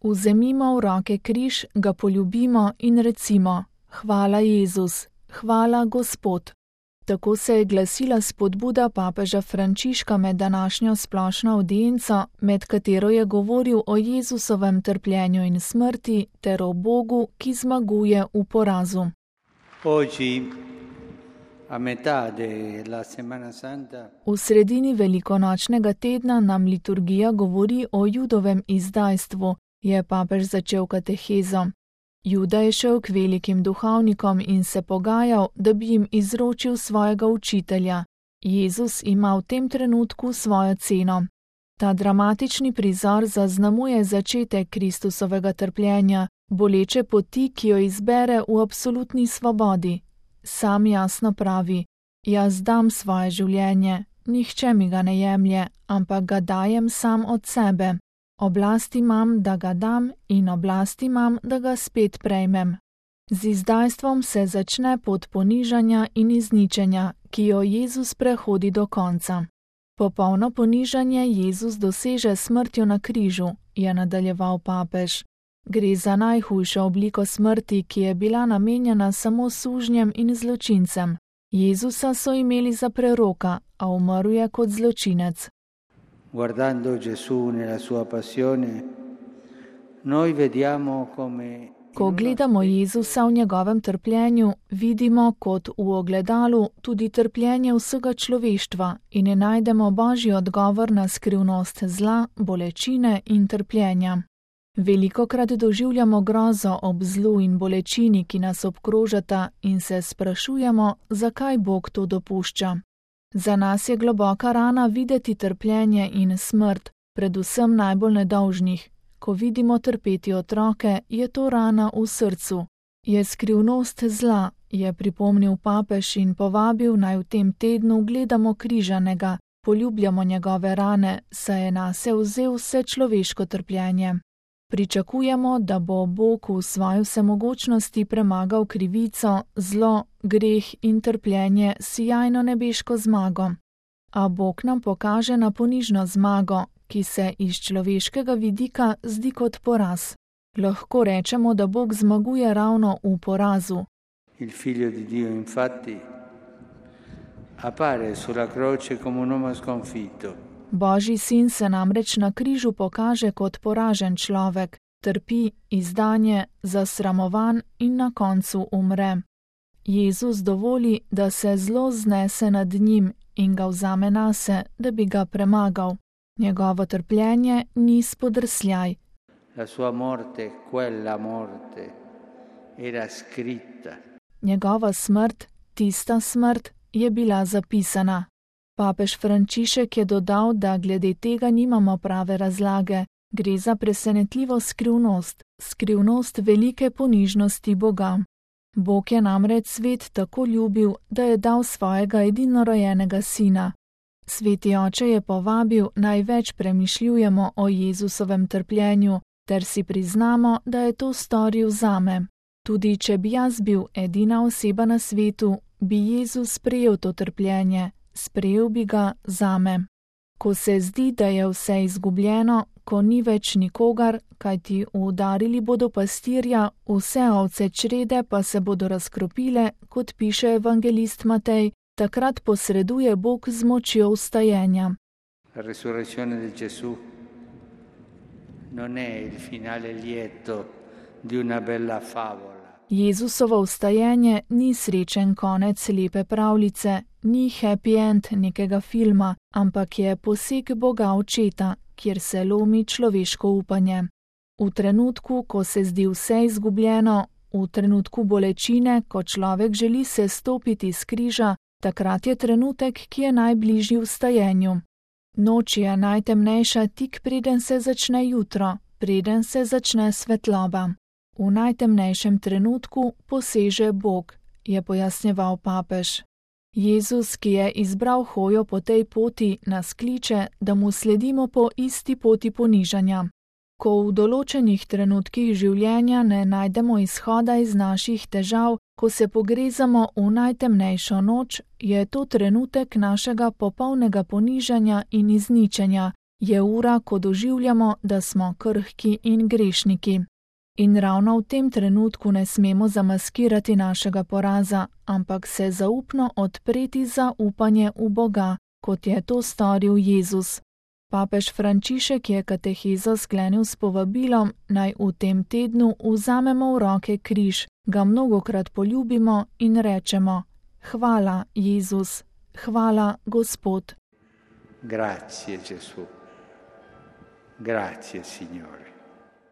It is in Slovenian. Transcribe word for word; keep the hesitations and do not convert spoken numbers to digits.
Vzemimo v roke križ, ga poljubimo in recimo: Hvala Jezus, hvala Gospod. Tako se je glasila spodbuda papeža Frančiška med današnjo splošno avdienco, med katero je govoril o Jezusovem trpljenju in smrti ter o Bogu, ki zmaguje v porazu. V sredini velikonočnega tedna nam liturgija govori o Judovem izdajstvu, je papež začel katehezo. Juda je šel k velikim duhovnikom in se pogajal, da bi jim izročil svojega učitelja. Jezus ima v tem trenutku svojo ceno. Ta dramatični prizor zaznamuje začetek Kristusovega trpljenja, boleče poti, ki jo izbere v absolutni svobodi. Sam jasno pravi: Jaz dam svoje življenje, nihče mi ga ne jemlje, ampak ga dajem sam od sebe. Oblast imam, da ga dam, in oblast imam, da ga spet prejmem. Z izdajstvom se začne pot ponižanja in izničenja, ki jo Jezus prehodi do konca. Popolno ponižanje Jezus doseže smrtjo na križu, je nadaljeval papež. Gre za najhujšo obliko smrti, ki je bila namenjena samo sužnjem in zločincem. Jezusa so imeli za preroka, a umrl je kot zločinec. Guardando Gesù nella sua passione, noi vediamo come... Ko gledamo Jezusa v njegovem trpljenju, vidimo kot v ogledalu tudi trpljenje vsega človeštva in ne najdemo božji odgovor na skrivnost zla, bolečine in trpljenja. Velikokrat doživljamo grozo ob zlu in bolečini, ki nas obkrožata, in se sprašujemo, zakaj Bog to dopušča. Za nas je globoka rana videti trpljenje in smrt, predvsem najbolj nedolžnih. Ko vidimo trpeti otroke, je to rana v srcu. Je skrivnost zla, je pripomnil papež in povabil, naj v tem tednu gledamo križanega, poljubljamo njegove rane, saj je nase vzel vse človeško trpljenje. Pričakujemo, da bo Bog v svoji vsemogočnosti premagal krivico, zlo, greh in trpljenje s sijajno nebeško zmago. A Bog nam pokaže na ponižno zmago, ki se iz človeškega vidika zdi kot poraz. Lahko rečemo, da Bog zmaguje ravno v porazu. Il figlio di Dio infatti appare sulla croce come un uomo sconfitto. Božji sin se namreč na križu pokaže kot poražen človek, trpi, izdanje, zasramovan in na koncu umre. Jezus dovoli, da se zlo znese nad njim in ga vzame nase, da bi ga premagal. Njegovo trpljenje ni spodrsljaj. La sua morte, quella morte, era scritta. Njegova smrt, tista smrt, je bila zapisana. Papež Frančišek je dodal, da glede tega nimamo prave razlage. Gre za presenetljivo skrivnost, skrivnost velike ponižnosti Boga. Bog je namreč svet tako ljubil, da je dal svojega edinorojenega sina. Sveti oče je povabil, naj več premišljujemo o Jezusovem trpljenju, ter si priznamo, da je to storil zame. Tudi če bi jaz bil edina oseba na svetu, bi Jezus sprejel to trpljenje, sprejel bi ga zame. Ko se zdi, da je vse izgubljeno, ko ni več nikogar, kajti udarili bodo pastirja, vse ovce črede pa se bodo razkropile, kot piše evangelist Matej, takrat posreduje Bog z močjo vstajenja. La resurrezione di Gesù non è il finale lieto di una bella favola. Jezusovo vstajenje ni srečen konec lepe pravljice, ni happy end nekega filma, ampak je poseg Boga Očeta, kjer se lomi človeško upanje. V trenutku, ko se zdi vse izgubljeno, v trenutku bolečine, ko človek želi se stopiti s križa, takrat je trenutek, ki je najbližji vstajenju. Noč je najtemnejša tik preden se začne jutro, preden se začne svetloba. V najtemnejšem trenutku poseže Bog, je pojasnjeval papež. Jezus, ki je izbral hojo po tej poti, nas kliče, da mu sledimo po isti poti ponižanja. Ko v določenih trenutkih življenja ne najdemo izhoda iz naših težav, ko se pogrezamo v najtemnejšo noč, je to trenutek našega popolnega ponižanja in izničenja, Je ura, ko doživljamo, da smo krhki in grešniki. In ravno v tem trenutku ne smemo zamaskirati našega poraza, ampak se zaupno odpreti za upanje v Boga, kot je to storil Jezus. Papež Frančišek je katehezo sklenil s povabilom, naj v tem tednu vzamemo v roke križ, ga mnogokrat poljubimo in rečemo: Hvala, Jezus, hvala, Gospod. Grazie, Gesù. Grazie, Signore.